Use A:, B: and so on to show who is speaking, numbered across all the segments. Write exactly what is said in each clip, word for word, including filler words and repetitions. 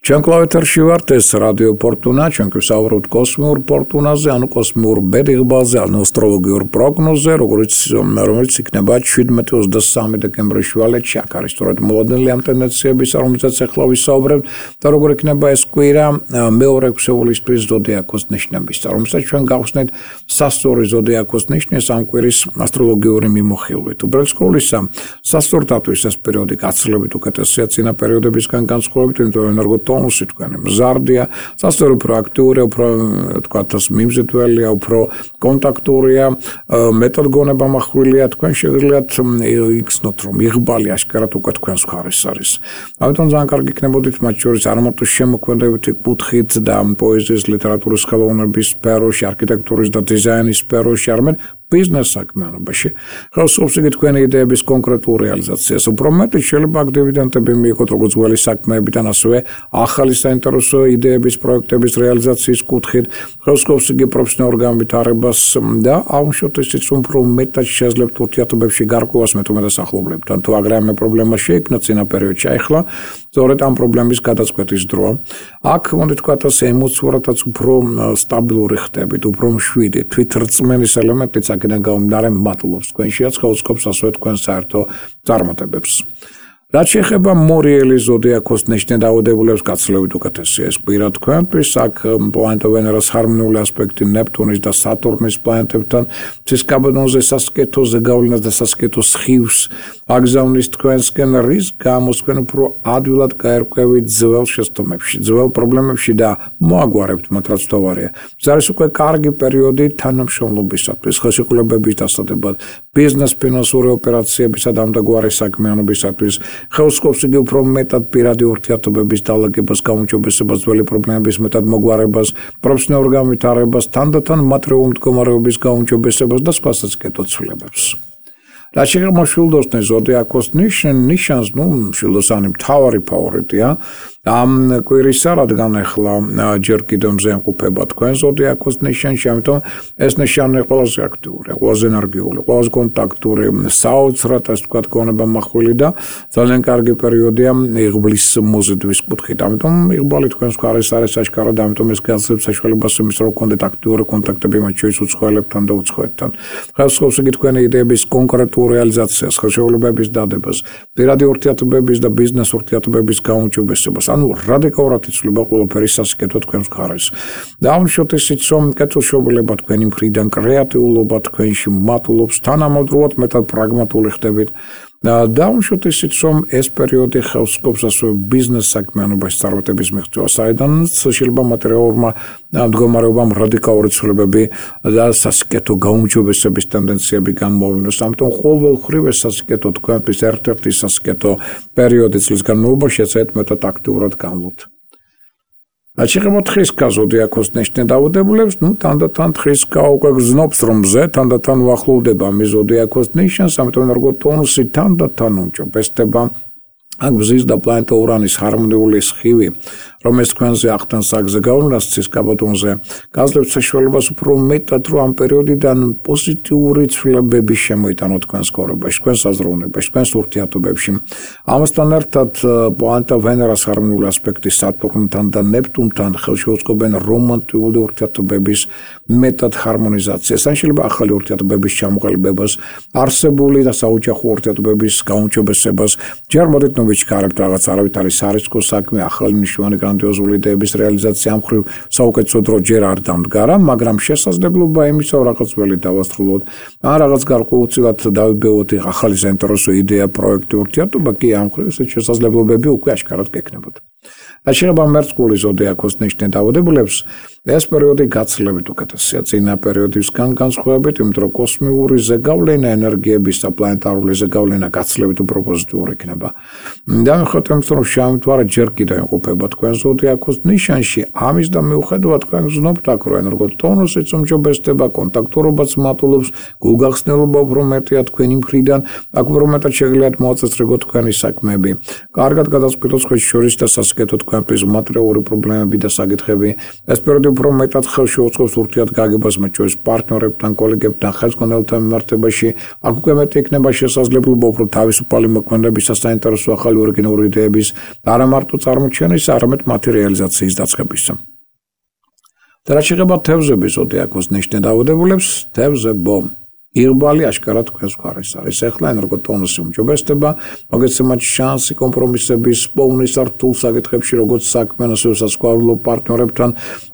A: ჩვენ კლავეთარში ვართ, ეს რადიო ფორტუნა, ჩვენ გვსაუბრობთ კოსმიურ ფორტუნაზე, ანუ კოსმიურ ბედიღბაზე, ანუ ასტროლოგიურ პროგნოზზე, როგორც რომელიც იქნება შვიდმეტი ოცდასამი დეკემბრის შუალედში, აქ არის სწორედ მოლოდნელი ამ ტენდენციების, რომელზეც ახლა ვისაუბრებთ და როგორ იქნება ეს კვირა მეორე ქსეულისთვის ზოდიაქოს ნიშნების, რომელსაც ჩვენ გავხსნით სასწორი ზოდიაქოს ნიშნის ამ კვირის ასტროლოგიური მიმოხილვით. უბრალოდ სკოლისა სასწორთათვის ეს პერიოდი გაცილებით უკეთესია წინა პერიოდებისგან განსხვავებით, იმიტომ რომ ენერგოტონუსი თქვენი მზარდია, სასწორო უფრო აქტიურია, უფრო თქვათ ეს მიმზიდველია, უფრო კონტაქტურია, მეტად გონება მახვილია, თქვენ შეგიძლიათ იგრძნოთ, რომ იღბალი აშკარად უკვე თქვენს მხარეს არის. ამიტომ ძალიან კარგი იქნებოდით მათ შორის არ მარტო შემოქმედებითი კუთხით და პოეზიის, ლიტერატურის ხელოვნების სფეროში, არქიტექტურის და დიზაინის სფეროში, არამედ ბიზნეს საქმიანობაში. ხელსაუბრობს იგი თქვენი იდეების კონკრეტულ რეალიზაციას. უფრო მეტი შეიძლება აქ დივიდენდები მიიღოთ როგორც ძველი საქმეებიდან, ასევე ახალი საინტერესო იდეების, პროექტების რეალიზაციის კუთხით. ხელსაუბრობს იგი პროფესიონალურ განვითარებას და აუშვოთ ისიც უფრო მეტად შეძლებთ ურთიერთობებში გარკვევას მეტომეტად ახლობლებთან. თუ აგრეთვე პრობლემა შეიქმნა წინა პერიოდში, ახლა სწორედ ამ პრობლემის გადაწყვეტის დროა. აქ მოდი თქვათ ასე ემოციურადაც უფრო სტაბილური ხდებით, უფრო მშვიდი, თვითრწმენის ელემენტიც აქედან გამომდინარე მატულობს თქვენშიაც, ხელსაუბრობს ასევე თქვენ საერთო წარმატებებს. რაც შეეხება მორიელი ზოდიაქოს ნიშნებადებულებს გაცილებით უკეთესია ეს კვირა თქვენთვის, აქ პლანეტა ვენერას ჰარმონიული ასპექტი ნეპტუნის და სატურნის პლანეტებთან, ცისკაბადონზე სასკეთო ზეგავლენას და სასკეთო სხივს აგზავნის თქვენსკენ, რის გამოც თქვენ უფრო ადვილად გაერკვევით ძველ შეცდომებში, ძველ პრობლემებში და მოაგვარებთ მათ, რაც თავარია. ეს არის უკვე კარგი პერიოდი თანამშრომლობისათვის, ხელშეკრულებების დასადებად, ბიზნეს ფინანსური ოპერაციებისა და ამდაგვარი საქმიანობისათვის. ხელსაუბრობს იგი უფრო მეტად პირადი ურთიერთობების დალაგებას, გაუმჯობესებას, ძველი პრობლემების მეტად მოგვარებას, პროფესიონალურ განვითარებას, თანდათან მატერიალური მდგომარეობის გაუმჯობესებას და სხვა სასკეთო ცვლილებებს. რაც შეეხება მშვილდოსნის ზოდიაქოს ნიშანს, ნუ მშვილდოსანი მთავარი ფავორიტია ამ კვირისა, რადგან ახლა ჯერ კიდევ მზე ემყოფება თქვენ ზოდიაქოს ნიშანში, ამიტომ ეს ნიშანი ყველაზე აქტიურია, ყველაზე ენერგიული, ყველაზე კონტაქტური, საოცრად ასე ვთქვათ გონება მახვილი და ძალიან კარგი პერიოდია იღბლის მოზიდვის კუთხით. ამიტომ იღბალი თქვენს მხარეს არის აშკარად, ამიტომ ეს გაძლევს საშუალებას იმის, რომ გქონდეთ აქტიური კონტაქტები მათ შორის უცხოელებთან და უცხოეთთან. ხელსაუბრობს იგი თქვენი იდეების კონკრეტულ რეალიზაციას, ხელშეკრულებების დადებას, პირადი ურთიერთობების და ბიზნეს ურთიერთობების გაუმჯობესებას. ანუ რადიკალურად იცვლება ყველაფერი სასკეთო თქვენს მხარეს. და აუშვოთ ისიც, რომ კეთილშობილება თქვენი მხრიდან, კრეატიულობა თქვენში მატულობს, თანამედროვედ მეტად პრაგმატული ხდებით. და აუშვოთ ისიც, რომ ეს პერიოდი ხელსაუბრობს ასევე ბიზნეს საქმიანობაში წარმატების მიღწევას, საიდანაც შეიძლება მატერიალურმა მდგომარეობამ რადიკალური ცვლილებები და სასკეთო გაუმჯობესების ტენდენციები გამოავლინოს. ამიტომ ყოველმხრივ ეს სასკეთო თქვენთვის ერთ-ერთი სასკეთო პერიოდი წლის განმავლობაში, ეცადეთ მეტად აქტიურად განვლოთ. რაც შეეხება თხრისკა ზოდიაქოს ნიშნებადებულებს, ნუ თანდათან თხრისკა უკვე გრძნობს, რომ მზე თანდათან უახლოვდება მის ზოდიაქოს ნიშანს, ამიტომ ენერგოტონუსი თანდათან უმჯობესდება. აქ მზის და პლანეტა ურანის ჰარმონიული სხივი, რომელიც თქვენზე ახდენს აქ ზეგავლენას ცისკაბადონზე, გაძლევთ საშუალებას უფრო მეტად, რომ ამ პერიოდიდან პოზიტიური ცვლილებები შემოიტანოთ თქვენს ცხოვრებაში, თქვენს აზროვნებაში, თქვენს ურთიერთობებში. ამასთან ერთად პლანეტა ვენერას ჰარმონიული ასპექტი სატურნთან და ნეპტუნთან ხელშეუწყობენ რომანტიკული ურთიერთობების მეტად ჰარმონიზაციას, ან შეიძლება ახალი ურთიერთობების ჩამოყალიბებას, არსებული და საოჯახო ურთიერთობების გაუმჯობესებას. ჯერ მოდით ვიჩქარებთ რაღაც არავით არის სარისკო საქმე, ახალი მნიშვნელოვანი გრანდიოზული იდეების რეალიზაცია ამ ხრივ საუკეთესო დრო ჯერ არ დამდგარა, მაგრამ შესაძლებლობა იმისა, რომ რაღაც ველი დავასრულოთ, ან რაღაც გარკვეულწილად დავიბეოთ ახალი საინტერესო იდეა, პროექტი, ურთიერთობა კი ამ ხრივ ეს შესაძლებლობები უკვე აშკარად გექნებათ. რაც შეეხება მერწყული ზოდიაქოს ნიშნებადებულებს, ეს პერიოდი გაცილებით უკეთესია წინა პერიოდისგან განსხვავებით, იმიტომ რომ კოსმიური ზეგავლენა ენერგიების და პლანეტარული ზეგავლენა გაცილებით უფრო პოზიტიური იქნება. და მიუხედავად იმისა, რომ შავი მთვარე ჯერ კიდევ იმყოფება თქვენ ზოდიაქოს ნიშანში, ამის და მიუხედავად თქვენ გრძნობთ აქ, რომ ენერგოტონუსიც უმჯობესდება, კონტაქტურობაც მატულობს, გულგახსნელობა უფრო მეტია თქვენი მხრიდან, აქ უფრო მეტად შეგიძლიათ მოაწესრიგოთ თქვენი საქმეები. კარგად გადაწყვიტოთ სხვის შორის და სასიკეთო თქვენთვის მატერიული პრობლემები და საკითხები. ეს პერიოდი უფრო მეტად ხელში უწყობს ურთიერთგაგებას მათ შორის პარტნიორებთან, კოლეგებთან, ხელმძღვანელთან მიმართებაში. აქ უკვე მეტი იქნება შესაძლებლობა უფრო თავისუფალი მოქმედებისა, საინტერესო ახალი ორიგინალური იდეების და არა მარტო წარმოჩენის, არამედ მათი რეალიზაციის დაწყებისა. და რაც შეეხება თევზების ზოდიაქოს ნიშნე დაავადებულებს, თევზებო იღბალი აშკარად თქვენს მხარეს არის. ეხლა ენერგოტონუსი უმჯობესდება, მოგეცემათ შანსი კომპრომისების, პოვნის რთულ საკითხებში, როგორც საქმიან, ასევე სასქესო პარტნიორებთან,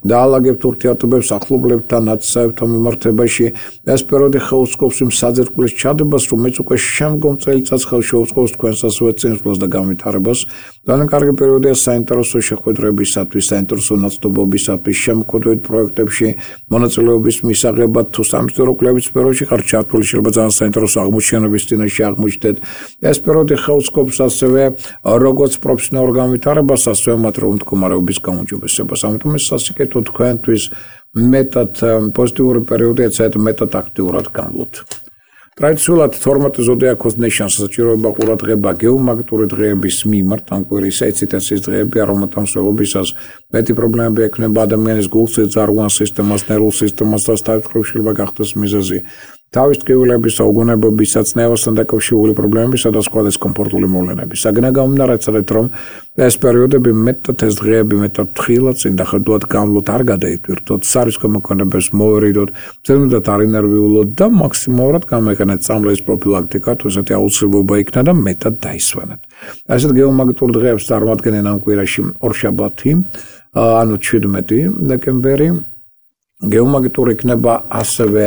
A: დაალაგებთ ურთიერთობებს ახლობლებთან, ნაცისაებთან მიმართებაში. ეს პერიოდი ხელს იმ საძირკვლის ჩადებას, რომელიც უკვე შემდგომ წელიწადს ხელს შეუწყობს თქვენს ასევე წინსვლას და განვითარებას. ძალიან კარგი პერიოდია საინტერესო შეხვედრებისათვის, საინტერესო ნაცნობობისათვის, შემოქმედებით პროექტებში, მონაწილეობის მისაღებად თუ სამსახურო კვლევის სფეროში ხართ ჩართული, შეიძლება ძალიან საინტერესო აღმოჩენების წინაშე აღმოჩნდეთ. ეს პერიოდი ხელსკობს ასევე როგორც პროფესიონალურ განვითარებას, ასევე მათრეულ მდგომარეობის გაუმჯობესებას. ამიტომ ეს სასიკეთო თქვენთვის მეტად პოზიტიური პერიოდია, საერთოდ მეტად აქტიურად განვლოთ. ტრადიციულად თორმეტ ზოდიაქოს ნიშანს საჭიროება ყურადღება გეომაგნიტური დღეების მიმართ, ამ კვირის ეციტაციის დღეები, რომელთა მსვლელობისას მეტი პრობლემები ექნება ადამიანის გულსა, ძარღვან სისტემას, ნერვულ სისტემას და თავისუფლად შეიძლება გახდეს მიზეზი თავის ტკივილების, უგონებობისა, წნევასთან დაკავშირებული პრობლემებისა და სხვა დისკომფორტული მოვლენების. საგნა გამომნარაცალეთ, რომ ეს პერიოდები მეტად ეს დღეები მეტად თხილად წინ და ხედულად განვლოთ, არ გადაიტვირთოთ, სარისკო მოქმედებებს მოვერიდოთ, ზედმეტად არ ინერვიულოთ და მაქსიმალურად გამოიყენეთ წამლების პროფილაქტიკა, თუ ესეთი აუცილებლობა იქნა და მეტად დაისვენეთ. ასეთ გეომაგნიტურ დღეებს წარმოადგენენ ამ კვირაში ორშაბათი, ანუ ჩვიდმეტი დეკემბერი. გეომაგნიტური იქნება ასევე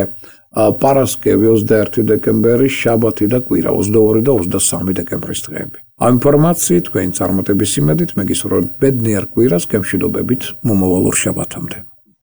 A: პარასკევი ოცდაერთი დეკემბერი, შაბათი და კვირა ოცდაორი და ოცდასამი დეკემბრის დღეები. ამ ინფორმაციით თქვენი წარმატების იმედით მეგისურვებთ ბედნიერ კვირას, გემშვიდობებით მომავალ ორშაბათამდე.